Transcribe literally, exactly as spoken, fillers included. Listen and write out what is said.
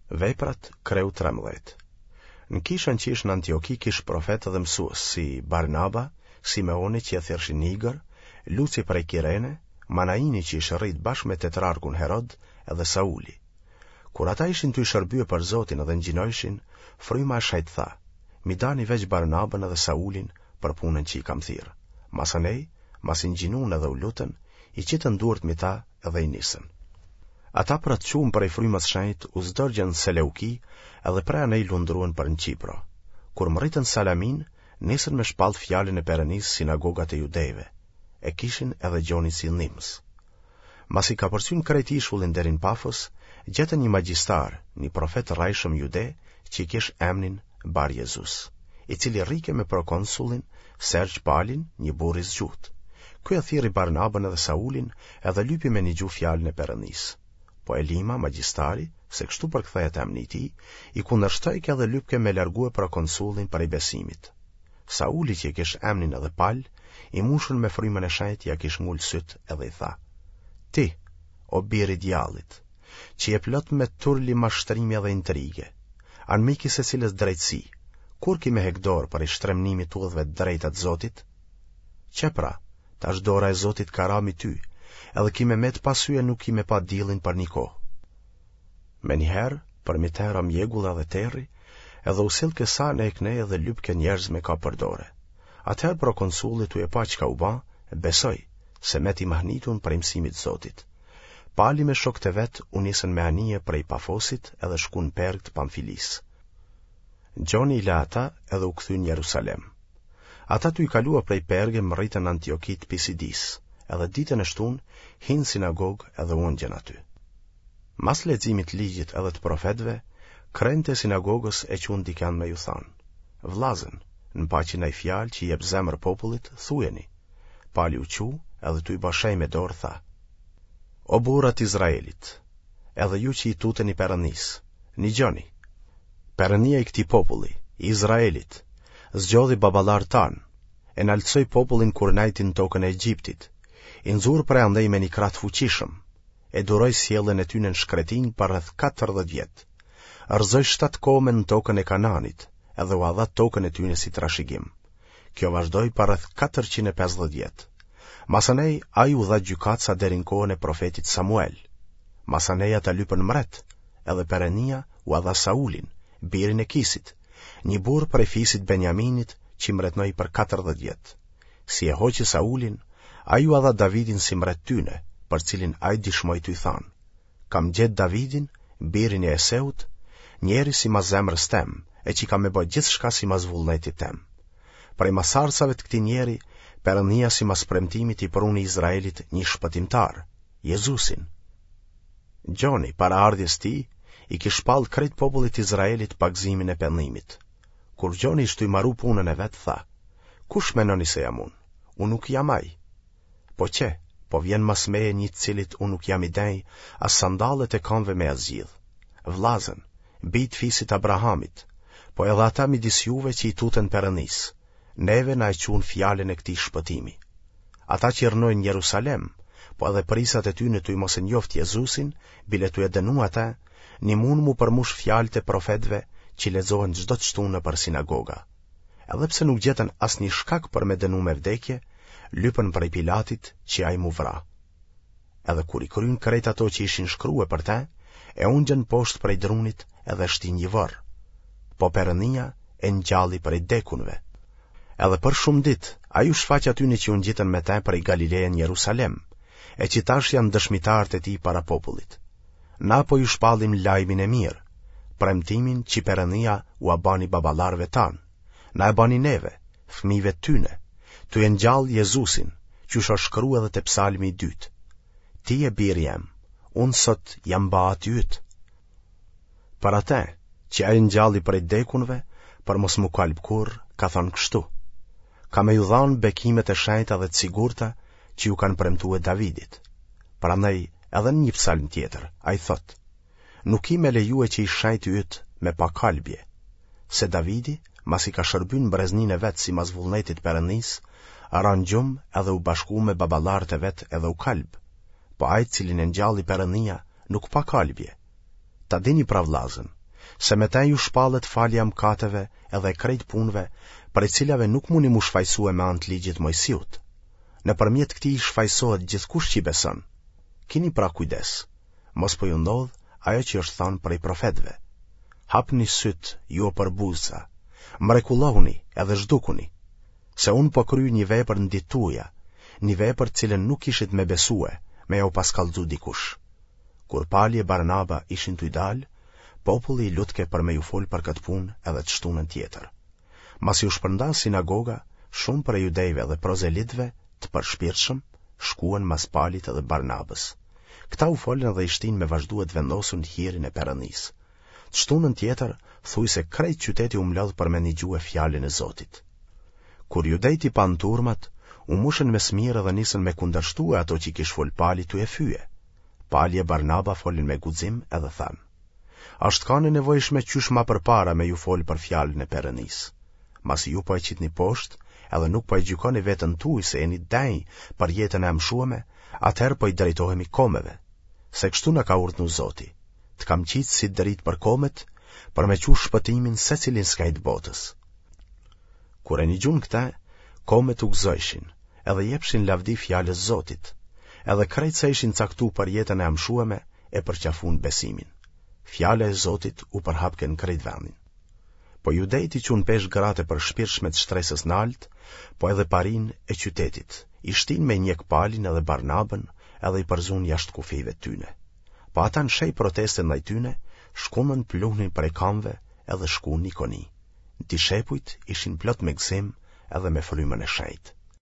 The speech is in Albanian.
Veprat, kreu trembëdhjetë. Në kishën që ish në Antioki kish profetë dhe mësues si Barnaba, Simeoni që e thirrshin Nigër, Luci prej Kirene, Manaini që ish rrit bashkë me tetrarkun Herod edhe Sauli. Kur ata ishin tuj shërbye për Zotin edhe ngjinojshin, fryma e shejtë tha, M'i dani veç Barnabën edhe Saulin për punën që i kam thirrë. Masanej, masi ngjinun edhe u lutën, i qitën duart mi ta edhe i nisën. Ata pra të çum prej frymës shenjtë u zdërgjën Seleuki edhe prej anej lundruen për në Qipro. Kur mrritën Salaminë, nisën me shpallë fjalën e Perënisë sinagogat e judejve, e kishin edhe Gjonin si ndihmës. Masi kapërcyn krejt ishullin deri në Pafos, gjetën një magjistar, një profet rrejshëm jude, që i kish emnin Bar Jezus, i cili rrike me prokonsullin Sergj Palin, një burrë i zgjutë. Ky e thirri Barnabën edhe Saulin edhe lypi me nigju fjalën e Perëndisë. Po Elima, magjistari, se kështu përkthehet emni i tij, i kundërshtojke edhe lypke me largue prokonsullin prej besimit. Sauli që e kish emnin edhe Pal, i mushun me frymën e shenjtë ia kish ngul sytë edhe i tha: Ti, o bir i djallit, që je plot me turli mashtrimi edhe intrige, anmik i secilës drejtësi, kur ki me hek dorë prej shtremnimit udhëve të drejta të Zotit? Qe pra, tash dora e Zotit ka ra mi ty, edhe ki me met pa sy e nuk ki me pa dillin për një kohë. Menjëherë, përmi te ra mjegulla dhe terri, edhe u sillke sa anej e knej edhe lypke njerëz me kap për dore. Atëherë prokonsulli tuj e pa çka u ba, besoi, se met i mahnitun prej mësimit Zotit. Pali me shokët e vet u nisën me anije prej Pafosit edhe shkun në Pergë të Pamfilisë. Gjoni i la ata edhe u kthy në Jerusalem. Ata tuj kalua prej Perge mrritën në Antioki të Pisidisë, edhe ditën e shtunë hinë sinagogë edhe u ungjën aty. Mas leximit të ligjit edhe të profetëve, krentë e sinagogës e çunë dikend me ju thanë, Vllazën, në paçi naj fjalë që i jep zemër popullit, thujeni. Pali u çu, edhe tuj ba shenjë me dorë tha, O burra të Izraelit, edhe ju që i tuteni Perëndisë, nigjoni! Perëndia i këtij populli, i Izraelit, zgjodhi baballarët tanë, e naltësoi popullin kur nejti në tokën e Egjiptit, i nxuri prej andej me një krah të fuqishëm, e duroi sjelljen e tyne në shkretinë për rreth katërdhjetë vjet, rrëzoi shtatë kome në tokën e Kananit, edhe ua dha tokën e tyne si trashëgim. Kjo vazhdoi për rreth katërqind e pesëdhjetë vjet. Masanej ai u dha gjykatësa deri në kohën e profetit Samuel. Masanej ata lypën mbret, edhe Perënia ua dha Saulin, birin e Kisit, një burrë prej fisit Benjaminit që mbretnoi për katërdhjetë vjet. Si e hoqi Saulin, ai ua dha Davidin si mbret tyne, për cilin ai dishmoi tuj thanë, Kam gjetë Davidin, birin e Jeseut, njeri simas zemrës tem, e që ka me ba gjithçka simas vullnetit tem. Prej masarcave të këtij njeri, Perëndia simas premtimit i pruni Izraelit një shpëtimtar, Jezusin. Gjoni, para ardhjes tij, i kish shpallë krejt popullit Izraelit pagëzimin e pendimit. Kur Gjoni ish tuj maru punën e vet, tha, Kush menoni se jam unë? Unë nuk jam ai. Po qe, po vjen mas meje një të cilit unë nuk jam i denjë as sandallet e kamve me ia zgjidhë. Vllazën, bij të fisit Abrahamit, po edhe ata midis juve që i tuten Perëndisë, neve na e çunë fjalën e këtij shpëtimi. Ata që rrnojnë Jerusalem, po edhe prijsat e tyne tuj mos e njoftë Jezusin, bile tuj e dënu atë, nimun m'u përmush fjalët e profetëve që lexohen çdo të shtunë nëpër sinagoga. Edhe pse nuk gjetën asnjë shkak për me dënu me vdekje, lypën prej Pilatit që ai m'u vra. Edhe kur i kryen krejt ato që ishin shkrue për te, e ungjën poshtë prej drunit edhe e shtinë një vorr. Po Perënia e ngjalli prej dekunve. Edhe për shumë ditë, ai u shfaq atyne që u ngjitën me te prej Galileje në Jerusalem, e që tash janë dëshmitarët e tij para popullit. Na po ju shpallim lajmin e mirë, premtimin që Perënia ua bani baballarëve tanë, na e bani neve, fëmijëve të tyne, tuj e ngjallë Jezusin, qysh është shkru edhe te psalmi i dytë. Ti je biri jem, unë sot jam ba ati yt. Për atë, që ai ngjalli prej dekunve, për mos m'u kalb kurrë, ka thënë kështu. Ka me ju dhanë bekimet e shenjta dhe të sigurta që ju kanë premtue Davidit. Prandaj edhe në një psalm tjetër, ai thotë, Nuk ki me lejue që i shenjti yt me pa kalbje, se Davidi, masi ka shërby në brezninë e vet simas vullnetit Perëndisë, ra në gjumë edhe u bashku me baballarët e vet edhe u kalb. Po ai të cilin e ngjalli Perëndia nuk pa kalbje. Ta dini pra vllazën, Se me te ju shpallet falja e mkateve edhe e krejt punëve, prej cilave nuk muni m'u shfajsue me anë të ligjit Mojsiut. Nëpërmjet këtij shfajsohet gjithkush që i beson. Kini pra kujdes, mos po ju ndodh ajo që është thanë prej profetëve. Hapni sytë, ju o përbuzësa, mrekullohuni edhe zhdukuni, se unë po kryj një vepër në ditë tuja, një vepër të cilën nuk kishit me besue, me jau pas kallxu dikush. Kur Pali e Barnaba ishin tuj dalë, populli i lutke për me ju folë për këtë punë edhe të shtunën tjetër. Masi u shpërnda sinagoga, shumë prej judejve dhe prozelitëve të përshpirtshëm shkuen mas Palit edhe Barnabës. Këta u folën dhe i shtinë me vazhdue të vendosun në hirin e Perëndisë. Të shtunën tjetër, thujse krejt qyteti u mlodh për me nigjue fjalën e Zotit. Kur judejtë i panë turmat, u mushën me smirë dhe nisën me kundërshtue ato që i kish folë Pali tuj e fye. Pali e Barnaba folën me guxim edhe thanë: Asht kanë e nevojshme qysh ma përpara me ju folë për fjalën e Perëndisë. Masi ju po e qitni poshtë, edhe nuk po e gjykoni veten tuj se jeni denjë për jetën e amshueme, atëherë po i drejtohemi komeve. Se kështu na ka urdhnu Zoti: Të kam qitë si dritë për komet, për me çu shpëtimin secilin skaj të botës. Kur e nigjun këte, komet u gëzojshin, edhe jepshin lavdi fjalës Zotit, edhe krejt sa ishin caktu për jetën e amshueme e përqafun besimin. Fjala e Zotit u përhapke në krejt vendin. Po judejt i çunë peshë gratë e përshpirtshme të shtresës naltë, po edhe parinë e qytetit, i shtinë me njek Palin edhe Barnabën edhe i përzunë jashtë kufijve tyne. Po ata në shej proteste ndaj tyne, shkundën pluhnin prej kamve edhe shkunë n'Ikoni. Dishepujt ishin plot me gëzim edhe me frymën e shenjtë.